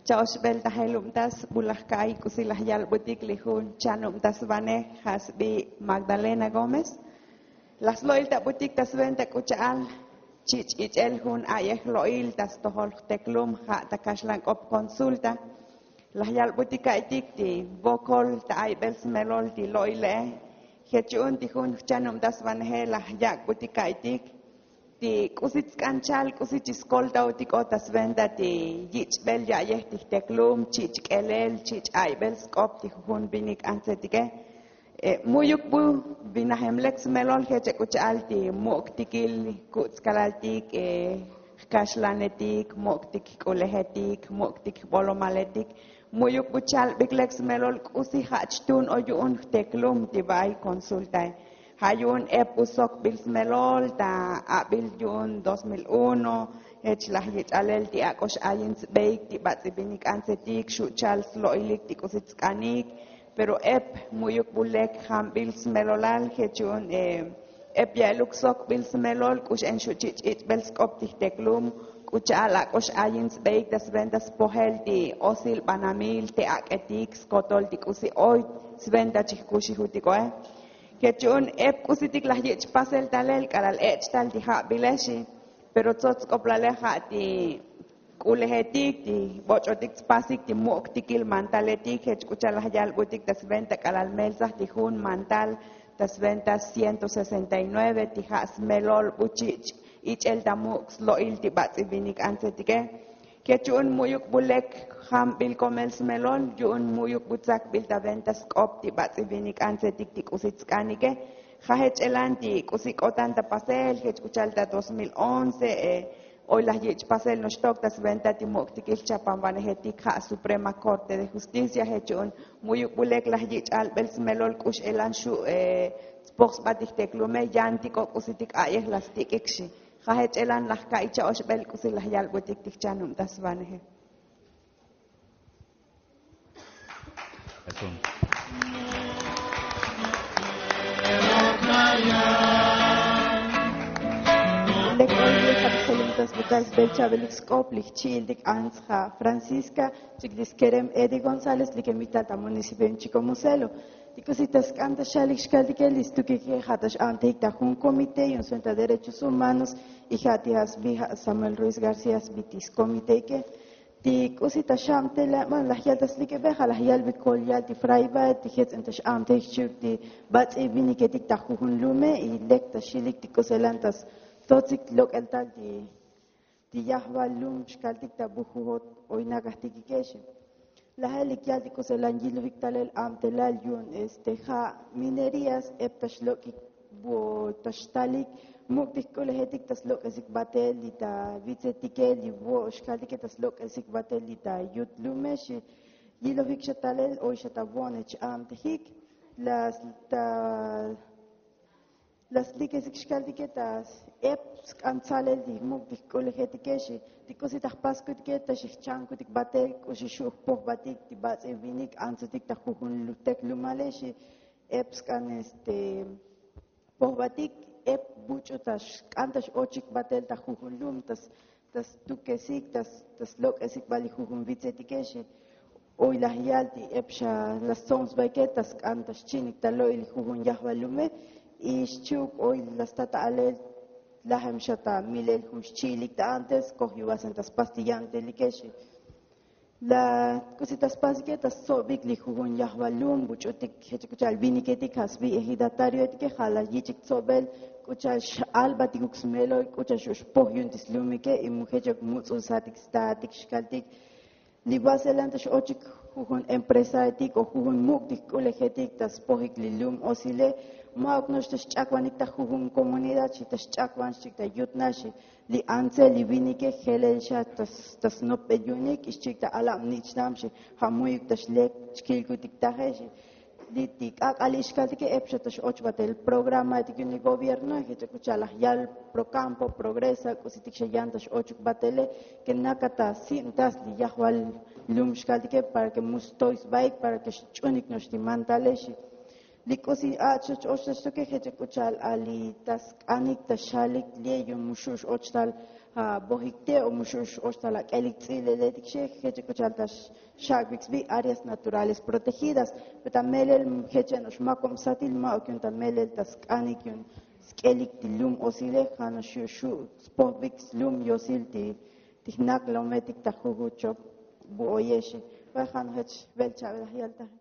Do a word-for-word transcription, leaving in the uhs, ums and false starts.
Cha'oxbel ta jelubtas bu laj ka'iy k'usi laj yalbutik li jun chanubtasvanej ja' sbi magdalena gómez. Laj slo'iltabutik ta sventa k'ucha'al chich' ich'el jun a'yej lo'il ta stojol jteklum ja' ta kaxlank'op konsulta. Laj yalbutik ka'itik ti vokol ta aybel smelol ti lo'ile'e. Je' chu'un ti jun jchanubtasvaneje laj yak'butik ka'itik ti k'usi tsk'an chal k'usi chi skoltaotik'o ta sventa ti yich'bel ya'yej ti jteklum chich' k'elel chich' aybel sk'op ti jujun vinik antsetike. Mu'yuk bu vinajem lek smelol je' che k'u cha'al ti muk' tikil ku'tskalal tik jkaxlanetik muk' tik jk'ulejetik muk' tik jbolomaletik. Mu'yuk bu chalbik lek smelol k'usi ja' chtun o yu'un jteklum ti va'ay konsultae. Ja' yu'un ep bu sokbil smelol ta abil yu'un dos mil uno. Jech laj yich'alel ti ak'o x'ayin sbeik ti bats'i vinik antsetik xu' chal slo'ilik ti k'usi tsk'anik. Pero ep mu'yuk bu lek jambil smelolal je' chu'un ep ya'eluk sokbil smelol k'u x'en xu' chich' ich'bel sk'op ti jteklum k'u cha'al ak'o x'ayin sbeik ta sventa spojel ti osil banamil te ak'etik skotol ti k'usi oy sventa chi jkuxijutiko'e. Je' chu'un ep k'usitik laj yich' pasel talel k'alal ech' tal ti ja'bile xi. Pero tsots sk'oplale ja' ti k'ulejetik ti boch'otik tspasik ti muk' tikil mantaletik jech k'u cha'al laj yalbutik ta sventa k'alal meltsaj ti jun mantal ta sventa ciento sesenta y nueve ti ja' smelol bu chich' ich'el ta muk' slo'il ti bats'i vinik antsetike. Je' chu'un mu'yuk bu lek jambil komel smelol yu'un mu'yuk bu tsakbil ta venta sk'op ti bats'i vinik antsetik ti k'usi tsk'anike. Ja' jech elan ti k'usi k'otan ta pasel jech k'u cha'al ta dos mil once. Oy laj yich' pasel noxtok ta sventa ti muk' tikil chapanvanejetik ja' suprema corte de justicia je' chu'un mu'yuk bu lek laj yich' albel smelol k'u x'elan xu' tspoj sba ti jteklume yantik o k'usitik a'yej laj stik'ik xi. Ja' jech elan laj ka'iy cha'oxbel k'usi laj yalbutik ti jchanubtasvaneje. Lek oy li' ja' ta jolumtas bukal sbel cha'belik sk'op li jchi'iltik ants ja' francisca chik li skerem edi gonzález li kemik tal ta municipio yu'un chikomuselo. Ti k'usi ta sk'an ta xalik xkaltike li stukike ja' ta x'a'mtejik ta jun komite yu'un sventa derechos humanos. Y ja' ti ja' sbi ja' samuel ruiz garcía sbi ti skomiteke. Ti k'usi ta xabteleban laj yal ta slik'ebe ja' laj yalbe kol yal ti frayba ti jets'en ta x'abtej xchi'uk ti bats'i viniketik ta jujun lume. Y lek ta xilik ti k'uselan ta stotzik lok'el tal ti yajbal lum xkaltik ta bu jujot oynakajtikike xi. Lajel lik yal ti k'uselan yilujik talel abtelal yu'un este ja' minerías ep ta xlok'ik bu ta xtalik muk' ti jk'ulejetik ta slok'esik batel li ta vitsetike li vo' xkaltike ta slok'esik batel li ta yut lume xi. Yilojik xa talel oy xa ta vo'ne ch'abtejik las ta las likesik xkaltike ta ep sk'an tsalel ti muk' ti jk'ulejetike xi. Ti k'usi ta jpaskutike ta xi jchankutik batel k'usi xu' jpojbatik ti bats'i vinik antsutik ta jujun lutek lumale xi. Ep sk'an este pojbatik ep buch'u ta xk'an ta x'ochik batel ta jujun lum ta stukesik ta slok'esik bal li jujun vitsetike xi. Oy laj yal ti ep xa la stsomsbaike ta sk'an ta xchi'nik ta lo'il li jujun yajbal lume. Y xchi'uk oy la sta ta alel lajem xa ta milel jun xchi'ilik ta antes koj yuvasen ta spas ti ya'ntelike xi. La k'usi ta spasike ta stsobik li jujun yajbal lum buch'utik jech k'u cha'al viniketik ja' sbi ejidatarioetike ja' la yich'ik tsobel k'u cha'al x'albatikuk smelol k'u cha'al xu' xpoj yu'un ti slumike. Y mu jechok muts'ulsatik statik xkaltik li vaselan ta x'ochik jujun empresaetik o jujun muk' ti jk'ulejetik ta spojik li lum osile. Ma'uk no'ox ta xch'akvanik ta jujun komunidad xi ta xch'akvan xchik ta yutna xi. Li antse li vinike jelel xa ta snopbel yu'unik y xchik ta alab nich'nam xi. Ja' mu'yuk ta xlek chkilkutik taje xi. Li ti k'ak'al ixkaltike ep xa ta x'och batel programaetik yu'un li gobierno jech k'u cha'al laj yal procampo progresa k'usitik xa yan ta x'ochuk batele ke naka ta sibtas li yajbal lum xkaltike para ke mu stoy sbaik para ke xch'unik no'ox ti mantale xi. Li k'usi a'ch ta x'och ta xtuke jech k'u cha'al a li ta sk'anik ta xalik li yu'un mu xu' x'och tal Abojik te o muxu' oxtal ak'elik tz'ileletik xe jech k'u cha'al ta xak'bik sbi áreas naturales protegidas. Pero ta melel jech no'ox makob satil ma' ok yu'un ta melel ta sk'anik yu'un sk'elik ti lum osile ja' no'ox xu' spojbik slum yosil ti jnak lometik ta juju' chop bu oyexe. Pero ja' no'ox jech bel cha'be laj yaltaje.